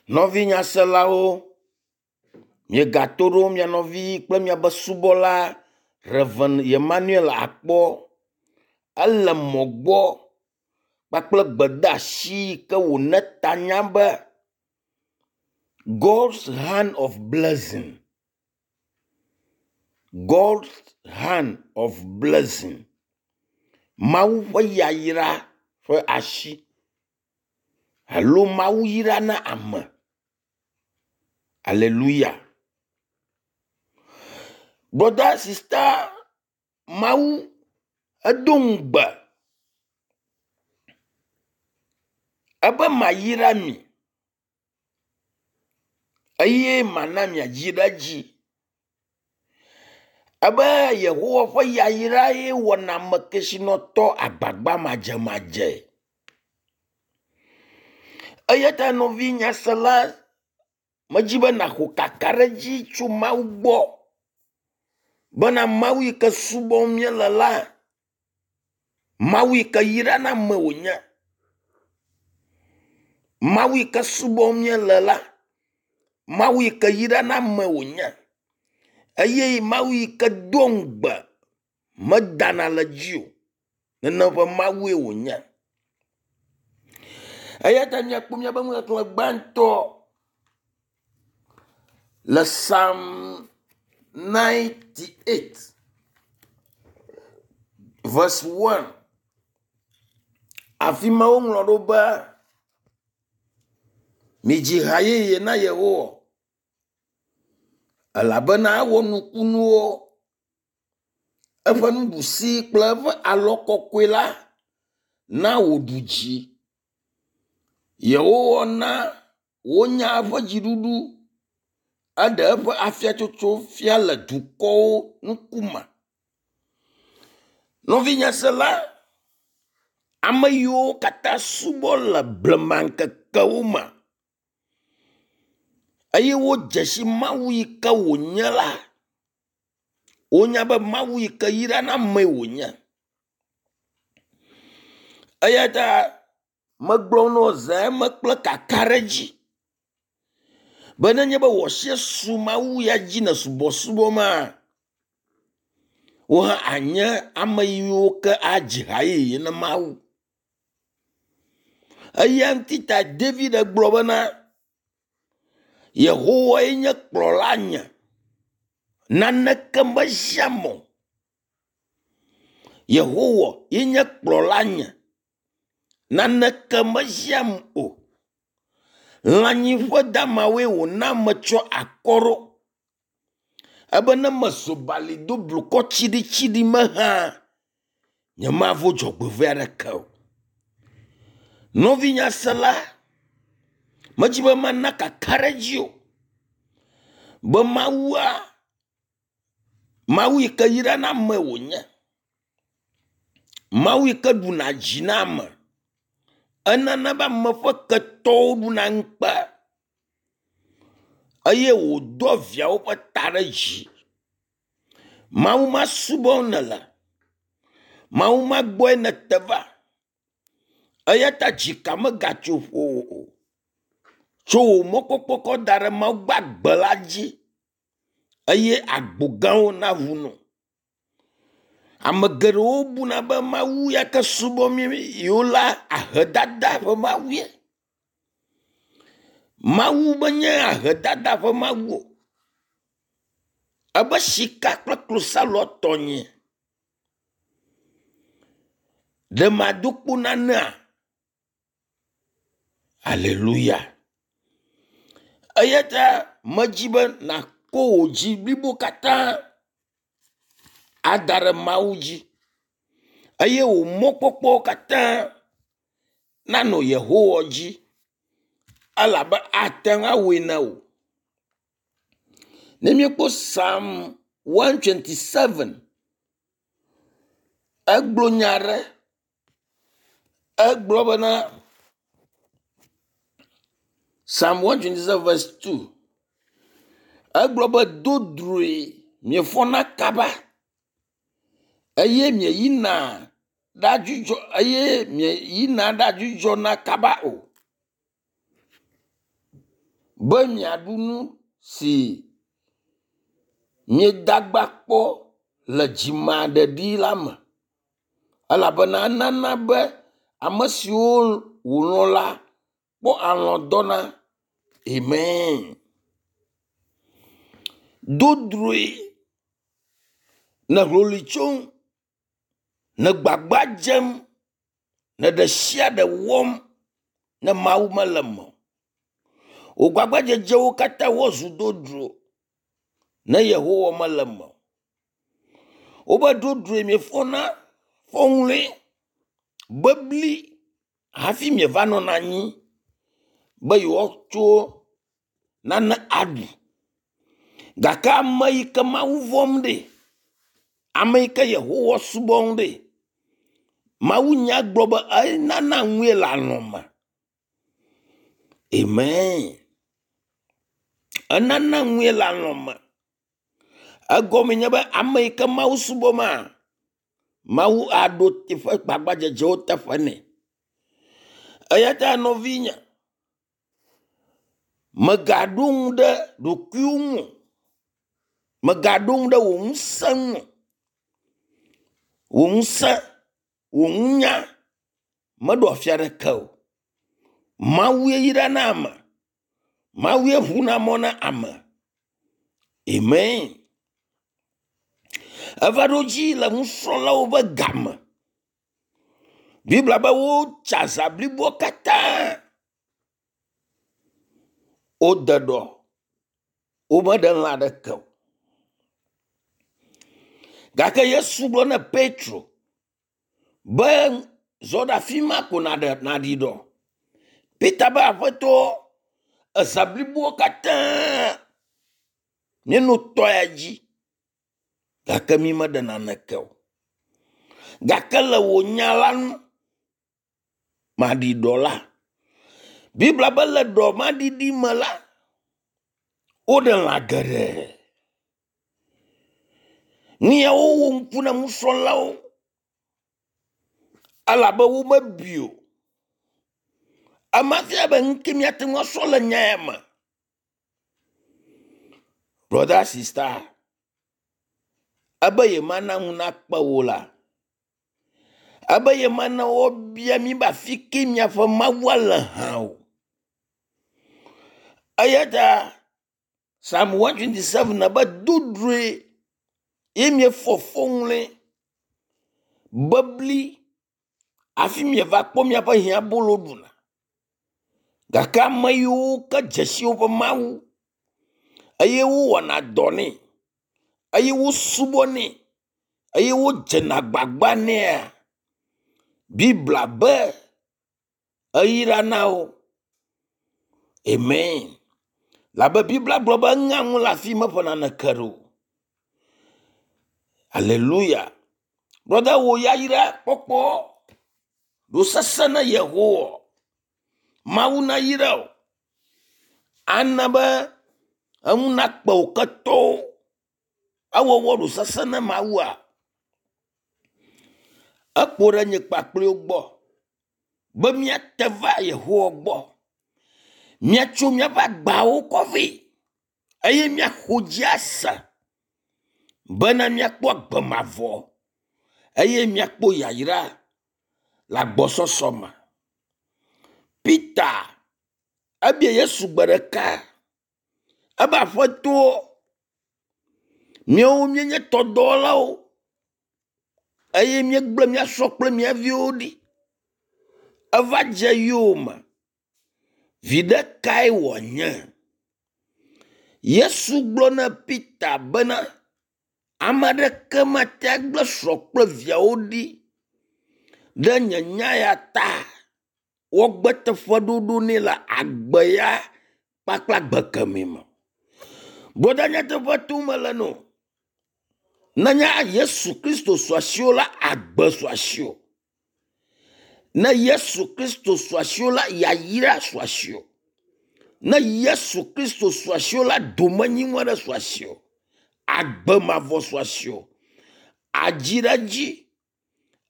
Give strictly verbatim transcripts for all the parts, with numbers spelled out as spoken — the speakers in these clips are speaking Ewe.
Nɔvi nyaselawo, miegato ɖo mia nɔvi kple miabe subɔla Rev. Emmanuel Akpɔ. Ele mɔ gbɔ kpakple gbedeasi yi ke wòna tanya be God's hand of blessing. God's hand of blessing. Mawu ƒe yayra ƒe asi alo Mawu yrana ame. Aleluya. Brother sister Mawu edo ŋugbe ebe mayra mi eye mana miadzi ɖe edzi. Ebe Yehowa ƒe yayra ye wɔna ame kesinɔtɔ agbagba madzemadze. Eya ta nɔvi nyasela, medzi be nàxɔ kakaɖedzi tso Mawu gbɔ bena Mawu yi ke subɔm míele la, Mawu yi ke yrana ame wònye. Mawu yi ke subɔm míele la, Mawu yi ke yrana ame wònye eye Mawu yi ke doa ŋugbe medana le edzi o. Nenem ƒe Mawue wònye. Eya ta míakpɔ míaƒe nuxexlẽ gbãtɔ le Psalm ninety-eight verse one. Afi ma woŋlɔ ɖo be, midzi ha yeye na Yehowa elabena ewɔ nukunuwo. Eƒe nuɖusi kple eƒe alɔ kɔkɔe la na wòɖu dzi. Yehowa na wonya eƒe dziɖuɖu. Eɖe eƒe afiatsotso fia le dukɔwo ŋkume. Nɔvi nyasela, ame yiwo katã subɔ le blema ŋkekewo me eye wodze si Mawu yi ke wònye la, wonya be Mawu yi ke yrana amee wònye. Eya ta megblɔ na wò zã eme kple kakaɖedzi be nenye be wò asi su Mawu ya dzi le subɔsubɔ maa, wò hã anye ame yiwo ke adzi ha yeye na Mawu. Eya ŋuti ta David gblɔ bena, Yehowae nye kplɔlanye, naneke meziam o. Yehowa ye nye kplɔlanye, naneke meziam o. Lãnyiƒe damawoe wòna metsɔ akɔ ɖo. Ebe ne mezo bali do blukɔ tsiɖitsiɖi me hã, nyemavo dzɔgbevɔ̃e aɖeke o. Nɔvi nyasela, medzi be mana kakaɖedzi o be Mawua, Mawu yi ke yrana ame wònye. Mawu yi ke ɖuna dzi na ame. Enana be ame ƒe ketɔwo ɖuna ŋukpe eye wòdoa viawo ƒe ta ɖe dzi. Mawu ma subɔm nèle. Mawu ma gbɔe nète va. Eya ta dzika megatso ƒowò o. Tso wò mɔkpɔkpɔ kɔ da ɖe Mawu gbagbe la dzi eye agbo gãwo naʋu nɔ. Ame geɖewo buna be Mawu ya ke subɔm yewo la ahedada ƒe Mawue. Mawu menye ahedada ƒe Mawu o. Ebe sika kple klosalo tɔnye. Ɖe mado kpo nanea? Aleluya. Eya ta medzi be nàkɔ wò dzi blibo katã ada ɖe Mawu dzi eye wò mɔkpɔkpɔ katã nanɔ Yehowa dzi elabe ate ŋu awɔe na wò. Ne míekpɔ Psalm one twenty-seven, egblɔ nya aɖe. Egblɔ bena Psalm one twenty-seven verse two. Egblɔ be do droe miefɔna kaba eye mieyina ɖadzudzɔ eye mieyina ɖadzudzɔna kaba o. Be miaɖu nu si miedagba kpɔ le dzimaɖeɖi la me elabena enana be ame siwo wòlɔ̃ la kpɔ alɔ̃ dɔna. Amen. Dodroe le hloloe tsom, le gbagba dzem, le ɖe sia ɖe wɔm ne Mawu mele eme o. Wò gbagbadzedzewo katã woazu dodro ne Yehowa mele eme o. Wobe dodroe miefɔna fɔŋli bebli hafi mieva nɔna anyi be yewoatso nane aɖu. Gake ame yi ke Mawu vɔ̃m ɖe, ame yi ke Yehowa subɔm ɖe, Mawunya gblɔ be enana nue le alɔ me. Amen. Enana nue le alɔ me. Egɔme nye be ame yi ke Mawu subɔma, Mawu aɖo eƒe gbagbadzedzewo teƒe nɛ. Eya ta nɔvinye, mègaɖo ŋu ɖe ɖokuiwò ŋu o. Mègaɖo ŋu ɖe wò ŋusẽ ŋu o. Wò ŋusẽ, wò nunya meɖo afi aɖeke o. Mawue yrana ame. Mawue ʋuna mɔ na ame. Amen. Eva ɖo dzi le nusrɔ̃lawo ƒe game. Biblia be wotsa zã bliboa katã. Wode ɖɔ. Womeɖe lã aɖeke o. Gake Yesu gblɔ na Petro be zɔ ɖe afi ma ko naɖe naɖi ɖɔ. Peter be aƒetɔ ezã bliboa katã míenɔ tɔ ya dzi gake mi meɖe naneke o. Gake le wò nya la nu maɖi ɖɔ la. Biblia be le ɖɔ ma ɖiɖi me la, woɖe lã geɖe. Nu ya wowɔ ŋku na nusrɔ̃lawo elabe womebui o. Ema fia be nu ke míate ŋu asrɔ̃ le nya ya me. Brother, sister, ebe yemana ŋu nakpe wò la, ebe yemana woabia mí be afi ke miaƒe Mawua le hã o. Eya ta Psalm one twenty seven be dodroe ye miefɔ fɔŋli bebli hafi mieva kpɔ miaƒe hiãbolo ɖuna. Gake ame yiwo ke dze si woƒe Mawu eye wowɔna dɔ nɛ eye wosubɔnɛ eye wodzena agbagba nɛa, Biblia be eyrana wo. Amen. Labe Biblia gblɔ be eŋea ŋu le afi meƒe naneke ɖo. Aleluya. Brother, wò yayra kpɔkpɔ ɖo sesẽ na Yehowa. Mawu nayra wò. Ana be eŋu nakpe wò ketɔwo. Ewɔwɔ ɖo sesẽ na Mawua. Ekpo ɖe nye kpakpliwo gbɔ be míate va Yehowa gbɔ. Míatso míaƒe agbawo kɔ vɛ eye míaxɔ dzi ase bena míakpɔ agbe mavɔ eye míakpɔ yayra le agbɔsɔsɔ me. Peter ebia Yesu gbe ɖeka ebe aƒetɔ míawo míenye tɔdɔwɔlawo eye míegblẽ mía srɔ̃ kple mía viwo ɖi. Eva dze yowòme. Viɖe kae wòanye? Yesu gblɔ na Peter bena ame aɖeke mate agblẽ srɔ̃ kple viawo ɖi ɖe nye nya ya ta. Woagbe teƒeɖoɖo nɛ le agbe ya kpakple agbe kemɛ me. Brɔda nyateƒe tom mele no. Nenye Yesu Kristo su asiwò la, agbe su asiwò. Ne Yesu Kristo su asiwò la, yayra su asiwò. Ne Yesu Kristo su asiwò la, domenyinu aɖe su asiwò. Agbe mavɔ su asiwò. Adzi ɖe edzi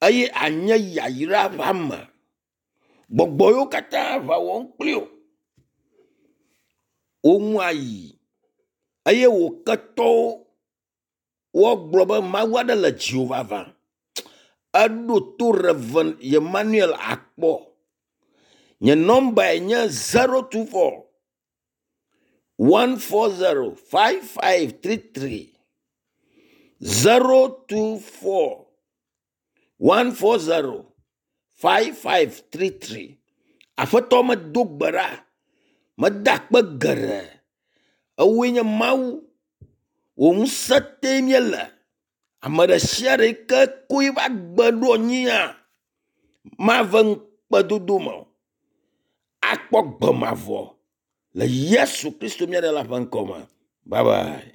eye anye yayra ƒe ame. Gbɔgbɔ yiwo katã aʋa wɔm kpli wò. Wò nu ayi eye wò ketɔwo woagblɔ be Mawu aɖe le dziwò vavã. Eɖo to Rev. Emmanuel Akpɔ. Nye nɔmbae nye zero two four one four zero five five three three zero two four one four zero five five three three. Aƒetɔ medo gbe ɖa, meda akpe geɖe. Ewoe nye Mawu, wò ŋusẽ tee míele. Ame ɖe sia ɖe yi ke ko eƒe agbe ɖo anyia, mave ŋukpedodo me o. Akpɔ gbe mavɔ le Yesu Kristo mía ɖela ƒe ŋkɔ me. Bye bye.